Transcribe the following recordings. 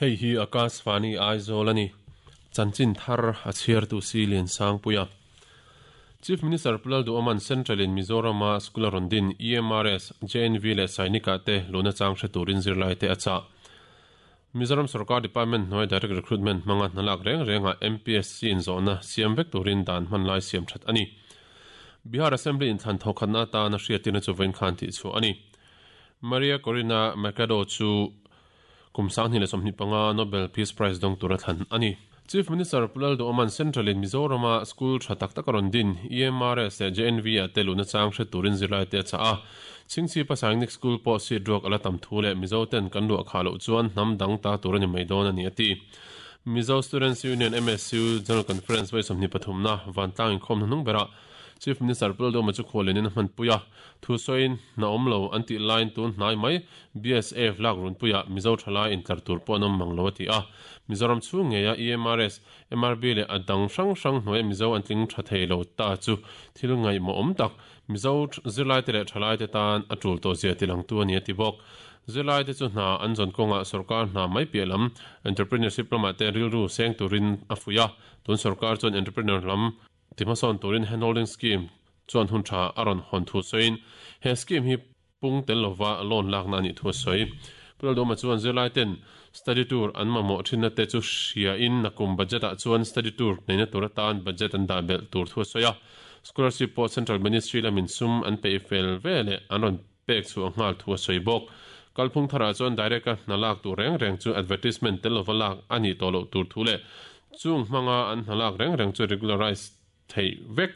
Hei hi Akashvani Aizawl a ni. Chanchin thar a chhiartu si Liansangpuia. Chief Minister Pu Lalduhoma'n Central in Mizorama school a rawn din EMRS, JNV leh Sainik-ah te luhna chang hre turin zirlaite a chah. Mizoram Sorkar Department hnuai Direct Recruitment hmanga hna lak reng rengah MPSC in zawhna siam vek turin dan hman lai siam that a ni. Bihar Assembly inthlan thawkhatna atana hriattirna chu vawiin khan tihchhuah a ni. Maria Corina Machado chu kum 2025 Nobel Peace Prize dawng tura thlan a ni. Chief Minister Pu Lalduhoma'n Central in Mizorama school tha tak tak a rawn din, EMRS leh JNV ah te luhna chang hre turin zirlaite a chah a. Chhingchhipa Sainik School pawh seat ruak a la tam thu leh Mizo ten kan luah khah loh chuan hnam dang ta tur a ni mai dawn a ni a ti. Mizo Students Union, MSU, General Conference vawi 23 na vantlang inkhawm hnuhnung berah Chief Minister Pu Lalduhoma chu khuallianin a hmanpui a. Thu sawiin hna awm lo an tih laiin tun hnai mai BSF lak runpuiah Mizo thalai intlar tur pawh an awm mang lo a ti a. Mizoram chhung ngeia EMRS, MRB leh a dang hrang hrang hnuaia Mizo an tling tha thei lo ta chu thil ngaihmawh awm tak Mizo zirlaite leh thalaite tan a tul tawh zia tilangtu a ni a ti bawk. Zirlaite chu hna an zawn kawngah sorkar hna mai piah lam entrepreneurship lamah te rilru seng turin a fuih a. Tun sorkar chuan entrepreneur lam ti hmasawn turin handholding scheme chuan hun tha a rawn hawn thu sawiin he scheme hi pung tel lova loan lakna a nih thu a sawi. Pu Lalduhoma chuan zirlaiten study tour an mamawh thinna te chu hriain nakum budget ah chuan study tour neihna tur atan budget an dah belh tur thu a sawi a. Scholarship pawh Central Ministry lamin sum an peih fel ve leh an rawn pek chhuah nghal thu a sawi bawk. Kalphung tharah chuan direct a hna lak tur reng reng chu advertisement tel lova lak a nih tawh loh tur thu leh chung hmanga an hna lak reng reng chu regularize theih vek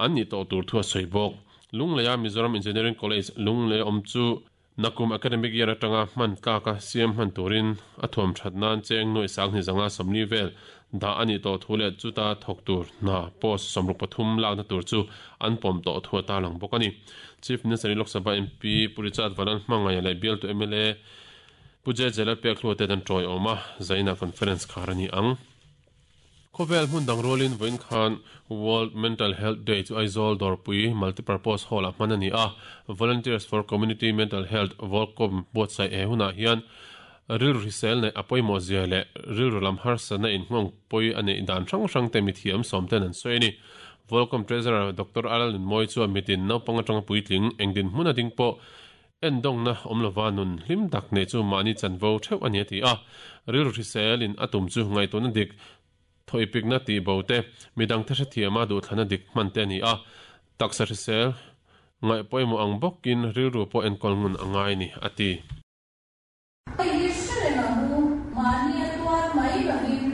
an nih tawh tur thu a sawi bawk. Lungleia Mizoram Engineering College Lunglei awm chu Nakum academic year atanga hman tlaka siam hman turin a thuam that nan cheng nuaih sanghnih zanga 40 vel dah a nih tawh thu leh chuta thawk tur hna post 63 lakna tur chu an pawm tawh thu a tarlang bawk a ni. Chief Minister Lok Sabha MP Pu Richard Valan hmangaih leh bialtu mla Pu JJ Lalpekhlua te an tawiawm a, zaina conference khar a ni ang. Khawvel hmun dang rualin vawiin khan World Mental Health Day chu Aizawl Dawrpui Multipurpose Hall-ah hman a ni a. Volunteers for Community Mental Health, Volcom, buatsaih he hunah hian rilru hrisel neih a pawimawh zia leh rilru lam harsatna inhmawng pawi a neih dan hrang hrang te mithiam sawm ten an sawi a ni. Volcom Treasurer Doctor Alal Nunmawi chuan mitin naupang atanga puitling eng dinhmun a ding pawh Endawngna awm lova nun hlim tak nei chu mahni chanvo theuh a ni a ti a. Rilru hriselin a tum chu ngaihtuahna dik, thawipikna tih bo te, midangte hrethiama duhthlana dik hman te a ni a. Taksa hrisel ngaih pawimawh ang bawkin rilru pawh enkawl ngun a ngai a ni a ti. Hei hi hre reng ang u, mahni a tuar mai lovin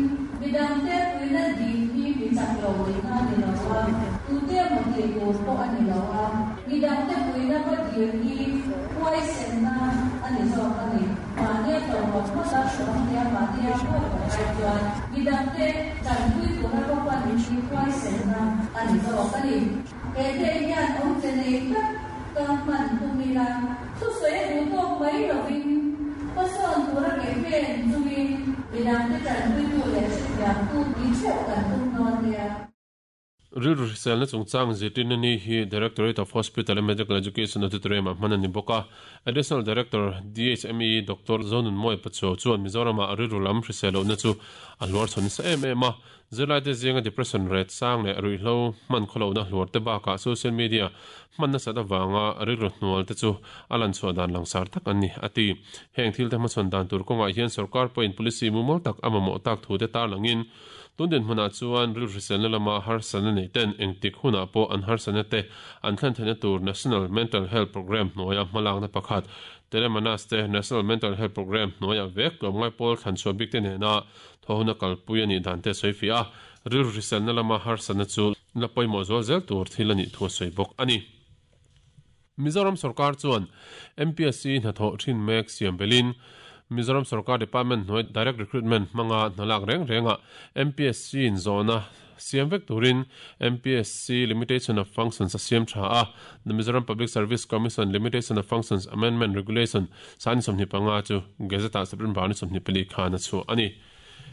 midangte puina dil hi mi chak lo nihna a ni lo a, tute emaw tih tur pawh a ni lo a, midangte puina va dil hi huaisenna a ni zawk a ni. Mahnia tawrhawt hmasa hrawm nia mahnia huai huai ai chuan midangte tanpui tura va pan hi huaisenna a ni zawk a ni. He day hian awmze nei tak ka hman tum ila, thusawi a duh tawk mai lovin hmasawn tura campaign chungin midangte tanpuitu leh hrethiamtu ni theuh kan tum dawn nia. Rilru hriselna chungchang zirtirna ni hi Directorate of Hospital and Medical Education Auditorium-ah hman a ni bawk a. Additional Director, DHME, Doctor Zonunmawia Pachuau chuan Mizoramah rilru lam hrisel lohna chu a hluar chhawn nasa em em a. Zirlaite zinga depression rate sang leh ruihhlo hman khawlohna hluar te bakah social media hman nasat avanga rilru hnual te chu a lan chhuah dan langsar tak an ni, a ti. Heng thil te hmachhawn dan tur kawngah hian sorkar pawhin policy mumal tak a mamawh tak thu te tarlangin tun dinhmunah chuan rilru hriselna lama harsatna nei ten engtik hunah pawh an harsatna te an thlen theihna tur National Mental Health Programme hnuaia hmalakna pakhat Telemanas te National Mental Health Programme hnuaia vek tlawmngai pawl thlanchhuah bik te nena Thawhna kalpui a nih dan te a sawi fiah a, rilru hriselna lama harsatna chu la pawimawh zual zel tur thil a nih thu a sawi bawk a ni. Mizoram sorkar chuan MPSC hnathawh thin mek siam belin Mizoram sorkar department hnuai direct recruitment hmanga hna lak reng rengah MPSC in zawhna siam vek turin MPSC Limitation of Functions a siam tha a, The Mizoram Public Service Commission Limitation of Functions Amendment Regulation Sani 25 chu Gazette-ah September ni 24 khan a chhuah a ni.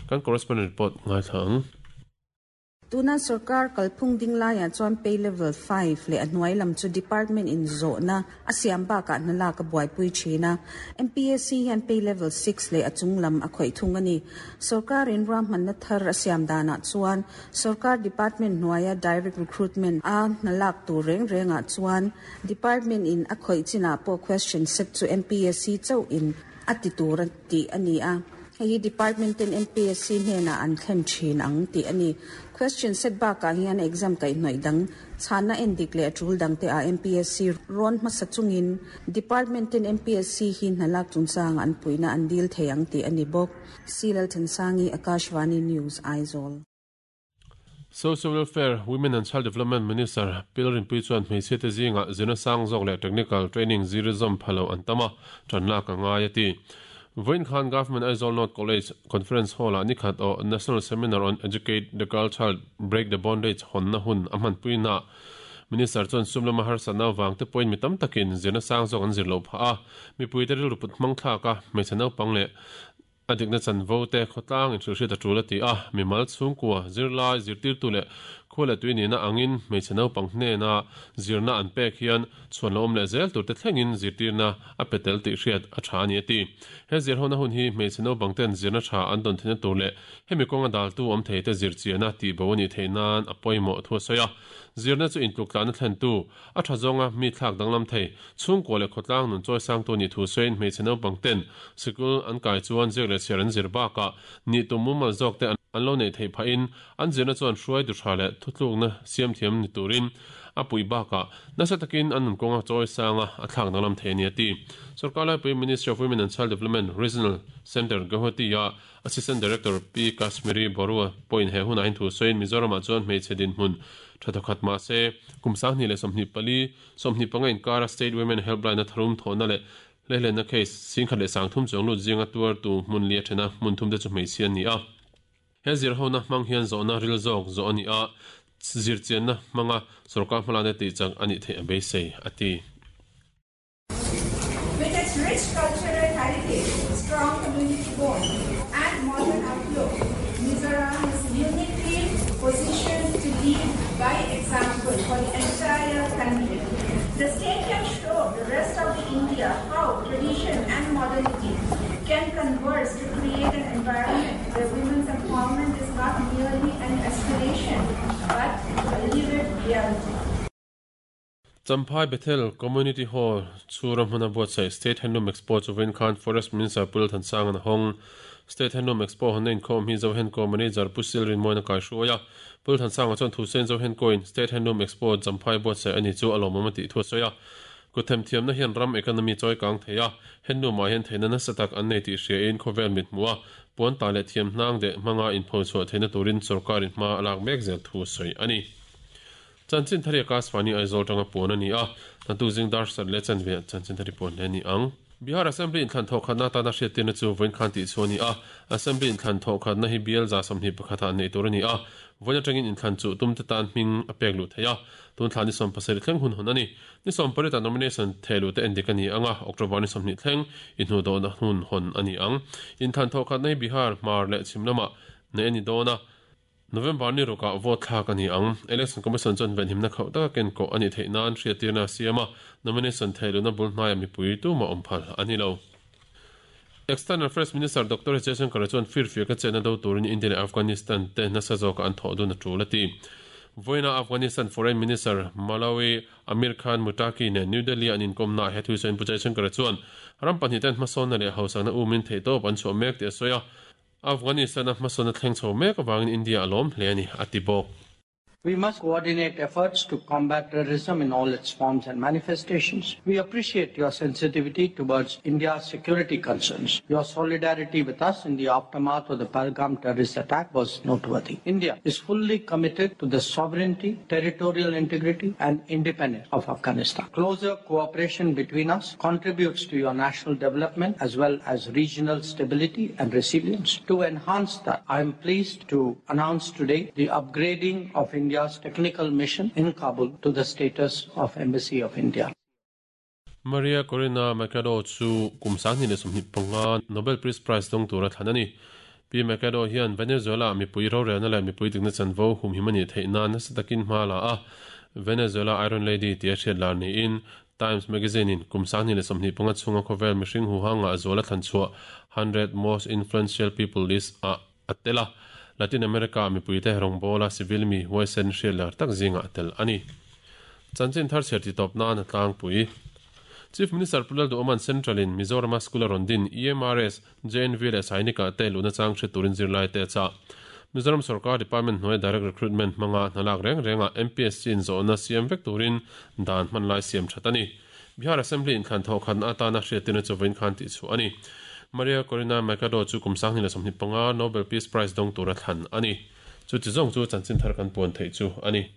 Kan correspondent report ngaithla ang. Tuna sorkar kalphung ding laiah chuan Pay Level 5 leh a hnuai lam chu department in zawhna a siam bakah hna lak a buaipui thin a. MPSC hian Pay Level 6 leh a chung lam a khawih thung a ni. Sorkar in ruahmanna thar a siam danah chuan sorkar department hnuaia direct recruitment a hna lak tur reng rengah chuan department in a khawih chinah pawh question set chu MPSC chauh in a ti tur a tih a ni a. Hei hi department ten MPSC hnenah an thlen thin ang tih a ni. Question set bakah hian exam kaihhnawih dang chhanna en dik leh a tul dang te ah MPSC rawn hmasa chungin department ten MPSC hi hna lak chungchang an puihna an dil thei ang tih a ni bawk. C Lalthansangi, Akashvani News, Aizawl. Social Welfare, Women and Child Development Minister Pi Lalrinpuii chuan hmeichhia te zingah zirna sang zawk leh technical training zir zawm pha lo an tam a, tan lak a ngai a ti. Vawiin khan Government Aizawl North College Conference Hall-ah nikhat aw National Seminar on Educate the Girl Child, Break the Bondage hawnna hun a hmanpuinaah Minister chuan sum lama harsatna avang te pawhin mi tam takin zirna sang zawk an zir loh phah a, mipuite rilru put hmang thlak a, hmeichhe naupang leh A dikna chanvo te khawtlang inhrilhhriat a tul a ti a, mimal chhungkua, zirlai, zirtirtu leh khua leh tui nihna angin hmeichhe naupang hnena zirna an pek hian chhuan lo awm leh zel tur te thlengin zirtirna a pe tel tih hriat a tha a ni a ti. He zirhona hun hi hmeichhe naupang ten zirna tha an dawn theihna tur leh hemi kawnga daltu awm thei te zirchiahna tihbo a nih theih nan a pawimawh thu a sawi a. Zirna chu intluktlahna thlentu, A tha zawnga mi thlak danglam thei, chhungkua leh khawtlang nun chawi sangtu nih thu sawiin hmeichhe naupang ten sikul an kai chuan ziak leh chhiar an zir bakah nih tum mumal zawk te an lo neih theih phahin an zirna chuan hruai duhra leh thutlukna siam thiam ni turin a puih bakah nasa takin an nun kawnga chawi sanga a thlak danglam thei a ni a ti. Sorkar laipui Ministry of Women and Child Development Regional Centre Guwahati ah Assistant Director Pi Kashmiri Barua pawhin he hunah hian thu sawiin Mizoramah chuan hmeichhe dinhmun tha thawkhat mah se, kum 2024, 25 inkara State Women Helpline-a tharum thawhna leh hlehlenna case 10,300 chuang lut zinga tuartu hmun li a then a, hmun thum te chu hmeichhia an ni a. He zirhona hmang hian zawhna ril zawk zawh a ni a, zirchianna hmanga sorkar hmalakna tihchak a nih theih a beisei, a ti. With its rich cultural heritage, strong community bond and modern outlook, Mizoram is uniquely positioned to lead by example for the entire country. The state can show the rest of the India how tradition and modernity can converse to create an environment where women's empowerment is not merely an aspiration but a lived reality. Champhai Bethel Community Hall chhura hmuna buatsaih State Handloom Expo chu vawiin khan Forest Minister Pu Lalthansang an a hawng. State Handloom Expo hawnna inkhawm hi Zohenko Manager Pu Sil Rinmawina kaihruai a. Pu Lalthansanga chuan thu sawiin Zohenkoin State Handloom Expo Champhai buatsaih a ni chu a lawmawm a tih thu a sawi a. Kuthemthiamna hian ram economy chawi kang thei a, handloom-ah hian theihna nasa tak an nei tih hriain khawvel mit hmuh a, puan tah leh thiam hnang deh hmanga inphochhuah theihna turin sorkarin hma a lak mek zel thu a sawi a ni. Chanchin thari a Kasvani Aizawl tanga puan a ni a, hnatu zing dar sat leh chanve ah chanchin thari puan hle a ni ang. Bihar Assembly inthlan thawhkhatna atana hriattirna chu vawiin khan tih chhuah a ni a, Assembly inthlan thawhkhatna hi bial 21 ah neih tur a ni a, vawiin atangin inthlan chuh tumte tan hming a pek luh theih a, tun thla ni 17 thleng hun hawn a ni. Ni 18 ah nomination theh luh te endik a ni ang a, October ni 20 thleng inhnuhdawhna hun hawn a ni ang. Inthlan thawhkhatna hi Bihar, Hmar leh Chhim lamah neih a ni dawn a, November ni rukah vote thlak a ni ang. Election Commission chuan venhimna khauh taka ken kawh a nih theih nan hriattirna a siam a, nomination theih luhna bul hnaiah mipui tumah awm phal a ni lo. External Affairs Minister Doctor S Jaishankar chuan firfiaka chetna do turin India leh Afghanistan te nasa zawka an thawh dun a tul a ti. Vawiina Afghanistan Foreign Minister Malawi Amir Khan Muttaqi nen New Delhi-a an inkawmnaah he thusawiin Pu Jaishankar chuan ram pahnih ten hmasawnna leh hausakna umin theihtawp an chhuah mek tih a sawi a, Afghanistan-a hmasawnna thleng chho mek avangin India a lawm hle a ni, a ti bawk. We must coordinate efforts to combat terrorism in all its forms and manifestations. We appreciate your sensitivity towards India's security concerns. Your solidarity with us in the aftermath of the Pahalgam terrorist attack was noteworthy. India is fully committed to the sovereignty, territorial integrity and independence of Afghanistan. Closer cooperation between us contributes to your national development as well as regional stability and resilience. To enhance that, I am pleased to announce today the upgrading of India's technical mission in Kabul to the status of Embassy of India. Maria Corina Machado chu kum 2025 Nobel Peace Prize dawng tura thlan a ni. Pi Machado hian Venezuela-ah mipui rorelna leh mipui dikna chanvo humhim a nih theih nan nasa takin hma la a, Venezuela Iron Lady tia hriat lar niin Times Magazine-in kum 2025 chhunga khawvel mihring huhanga a zual a thlan chhuah 100 Most Influential People list-ah a tel a, Latin America-ah mipuite rawngbawla civil mi huaisen hriat lar tak zingah a tel a ni. Chanchin thar chhiar titawp nan a tlangpui. Chief Minister Pu Lalduhawma'n Central-in Mizorama school a rawn din EMRS, JNV leh Sainik-ah te luhna chang hre turin zirlaite a chah. Mizoram sorkar department hnuaia direct recruitment hmanga hna lak reng rengah MPSC-in zawhna siam vek turin dan hman lai siam that a ni. Bihar Assembly inthlan thawh khatna atana hriattirna chu vawiin khan tihchhuah a ni. Maria Corina Machado chu kum 2025 Nobel Peace Prize dawng tura thlan a ni. Chuti zawng chu chanchin thar kan puan theih chu a ni.